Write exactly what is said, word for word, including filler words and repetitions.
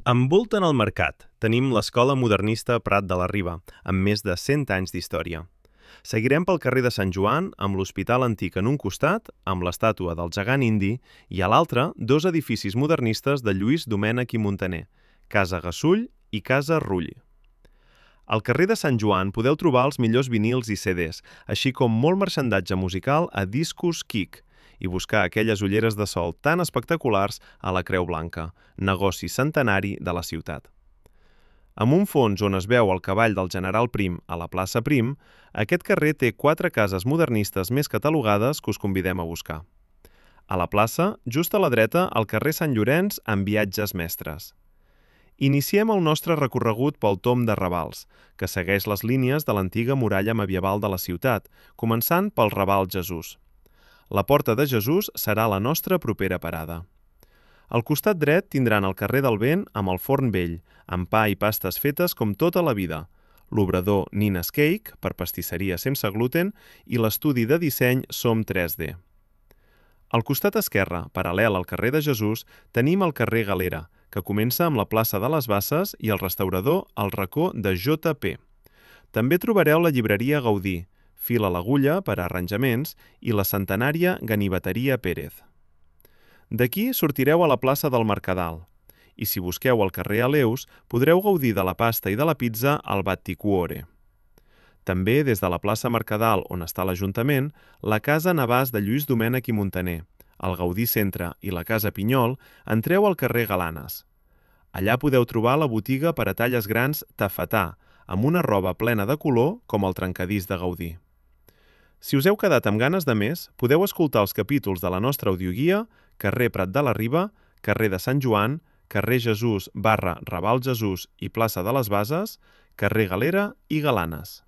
Envolten el mercat tenim l'Escola Modernista Prat de la Riba, amb més de cent anys d'història. Seguirem pel carrer de Sant Joan, amb l'Hospital Antic en un costat, amb l'estàtua del gegant indi, i a l'altre, dos edificis modernistes de Lluís Domènech i Muntaner, Casa Gassull i Casa Rull. Al carrer de Sant Joan podeu trobar els millors vinils i ce des, així com molt marxandatge musical a Discos Kick, i buscar aquelles ulleres de sol tan espectaculars a la Creu Blanca, negoci centenari de la ciutat. Amb un fons on es veu el cavall del general Prim a la plaça Prim, aquest carrer té quatre cases modernistes més catalogades que us convidem a buscar. A la plaça, just a la dreta, el carrer Sant Llorenç amb viatges mestres. Iniciem el nostre recorregut pel Tom de Ravals, que segueix les línies de l'antiga muralla medieval de la ciutat, començant pel Raval Jesús. La Porta de Jesús serà la nostra propera parada. Al costat dret tindran el carrer del Vent amb el Forn Vell, amb pa i pastes fetes com tota la vida, l'obrador Nina's Cake, per pastisseria sense gluten, i l'estudi de disseny Som tres D. Al costat esquerre, paral·lel al carrer de Jesús, tenim el carrer Galera, que comença amb la plaça de les Basses i el restaurador El Racó de jota pe. També trobareu la llibreria Gaudí, Fil a l'agulla per a arranjaments i la centenària Ganiveteria Pérez. D'aquí sortireu a la plaça del Mercadal i si busqueu al carrer Aleus podreu gaudir de la pasta i de la pizza al Batticuore. També des de la plaça Mercadal on està l'Ajuntament, la Casa Navàs de Lluís Domènech i Muntaner, el Gaudí Centre i la Casa Pinyol, entreu al carrer Galanes. Allà podeu trobar la botiga per a talles grans Tafetà, amb una roba plena de color com el trencadís de Gaudí. Si us heu quedat amb ganes de més, podeu escoltar els capítols de la nostra audioguia Carrer Prat de la Riba, Carrer de Sant Joan, Carrer Jesús barra Raval Jesús i Plaça de les Bases, Carrer Galera i Galanes.